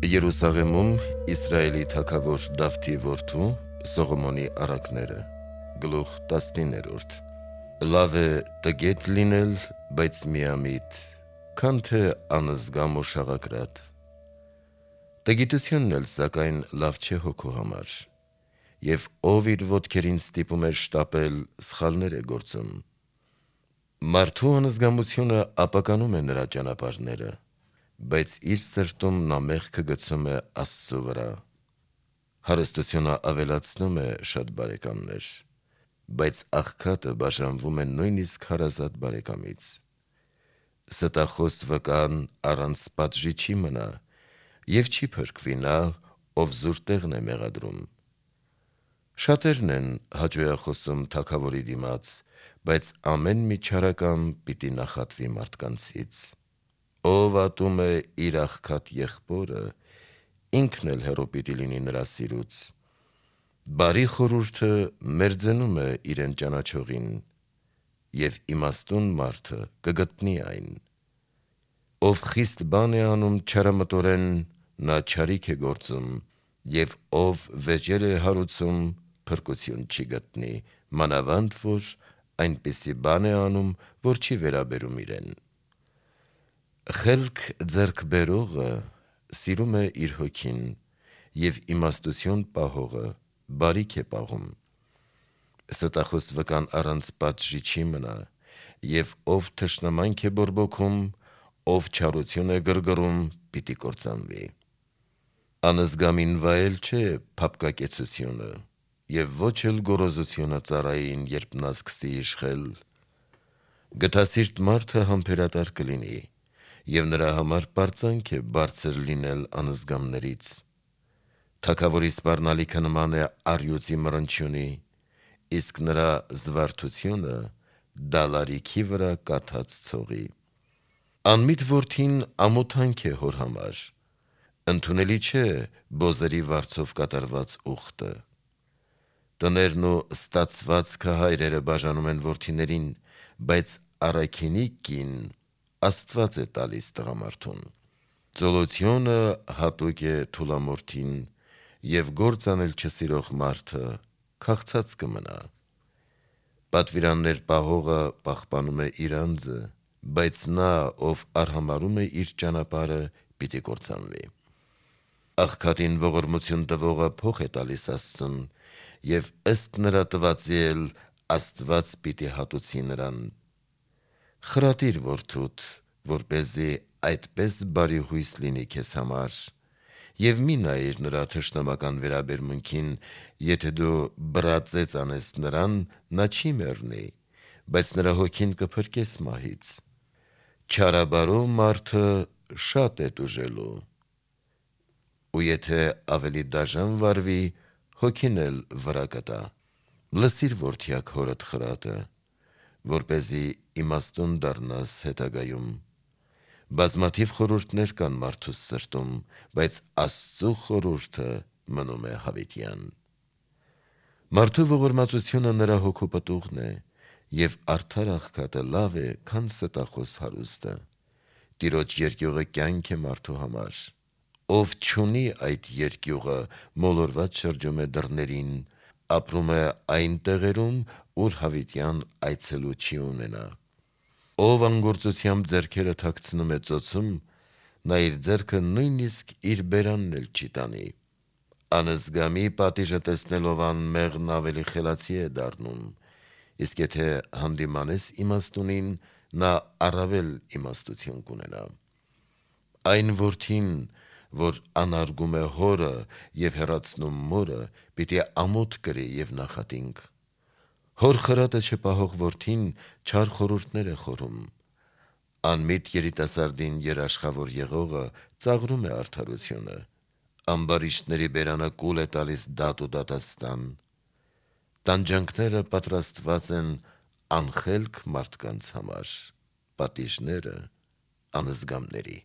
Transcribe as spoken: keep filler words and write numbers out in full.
Երուսաղեմում Իսրայելի թագավոր Դավթի որդու Սողոմոնի առակները Գլուխ տասնիններորդ Լավ է տգետ լինել, բայց միամիտ, քան թե անզգամ ու շաղակրատ։ Տգիտությունն էլ սակայն լավ չէ հոգու համար, և ով իր ոտքերին ստիպում է շտապել, սխալներ է գործում։ Մարդու անզգամությունը ապականում է նրա ճանապարհները, բայց իր սրտում նա մեղքը գցում է Աստծու վրա։ Հարստությունը ավելացնում է շատ բարեկամներ, բայց աղքատը բաժանվում է նույնիսկ հարազատ բարեկամից։ Ստախոս վկան առանց պատժի չի մնա, և չի փրկվի նա, ով զուր տեղն է մեղադրում։ Շատերն են հաճոյախոսում թագավորի դիմաց, բայց ամեն մի չարակամ պիտի նախատվի մարդկանցից։ Ով ատում է իր աղքատ եղբորը, ինքն էլ հեռու պիտի լինի նրա սիրուց։ Բարի խորհուրդը մերձենում է իրեն ճանաչողին, և իմաստուն մարդը կգտնի այն։ Ով խիստ բան է անում չարամտորեն, նա չարիք է գործում, և ով վեճեր է հարուցում, փրկություն չի գտնի, մանավանդ որ այնպիսի բան է անում, որ չի վերաբերում իրեն։ Խելք ձեռք բերողը սիրում է իր հոգին, և իմաստություն պահողը բարիք է պահում։ Ստախոս վկան առանց պատժի չի մնա, և ով թշնամանք է բորբոքում, ով չարություն է գրգռում, պիտի կործանվի։ Անզգամին վայել չէ փափկակեցությունը, և ոչ էլ գոռոզությունը ծառային, երբ նա սկսի իշխել։ Գթասիրտ մարդը համբերատար կլինի, և նրա համար պարծանք է բարձր լինել անզգամներից։ Թագավորի սպառնալիքը նման է առյուծի մռնչյունի, իսկ նրա զվարթությունը դալարիքի վրա կաթած ցողի։ Անմիտ որդին ամոթանք է հոր համար, ընդունելի չէ բոզերի վարձով կատարված ուխտը։ Տներն ու ստացվածքը հայրերը բաժանում են որդիներին, բայց առաքինի կին Աստված է տալիս տղամարդուն։ Ծոլությունը հատուկ է թուլամորթին, և գործ անել չսիրող մարդը քաղցած կմնա։ Պատվիրաններ պահողը պահպանում է իր անձը, բայց նա, ով արհամարհում է իր ճանապարհը, պիտի կործանվի։ Աղքատին ողորմություն տվողը փող է տալիս Աստծուն, և ըստ նրա տվածի էլ Աստված պիտի հատուցի նրան։ Խրատիր որդուդ, որպեսզի այդպես բարիհույս լինի քեզ համար, և մի նայիր նրա թշնամական վերաբերմունքին, եթե դու բռածեց անես նրան, նա չի մեռնի, բայց նրա հոգին կփրկես մահից։ Չարաբարո մարդը շատ է տուժելու, ու եթե ավելի դաժան վարվի, հոգին էլ վրա կտա։ Լսիր որդյակ հորդ խրատը, որպեսզի իմաստուն դառնաս հետագայում։ Բազմաթիվ խորհուրդներ կան մարդուս սրտում, բայց Աստծու խորհուրդը մնում է հավիտյան։ Մարդու ողորմածությունը նրա հոգու պտուղն է, և արդար աղքատը լավ է, քան ստախոս հարուստը։ Տիրոջ երկյուղը կյանք է մարդու համար։ Ով չունի այդ երկյուղը, մոլորված շրջում է դռներին, ապրում է այն տեղերում, ուր հավիտյան այցելու չի ունենա։ Ով անգործությամբ ձեռքերը թաքցնում է ծոցում, նա իր ձեռքը նույնիսկ իր բերանն էլ չի տանի։ Անզգամի պատիժը տեսնելով անմեղն ավելի խելացի է դառնում, իսկ եթե հանդիմանես իմաստունին, նա առավել իմաստություն կունենա։ Այն որդին, որ անարգում է հորը և հեռացնում մորը, պիտի ամոթ կրի և նախատինք։ Հոր խրատը չպահող որդին չար խորհուրդներ է խորում։ Անմիտ երիտասարդին երաշխավոր եղողը ծաղրում է արդարությունը։ Ամբարիշտների բերանը կուլ է տալիս դատ ու դատաստան։ Տանջանքները պատրաստված են անխելք մարդկանց համար, պատիժները անզգամների։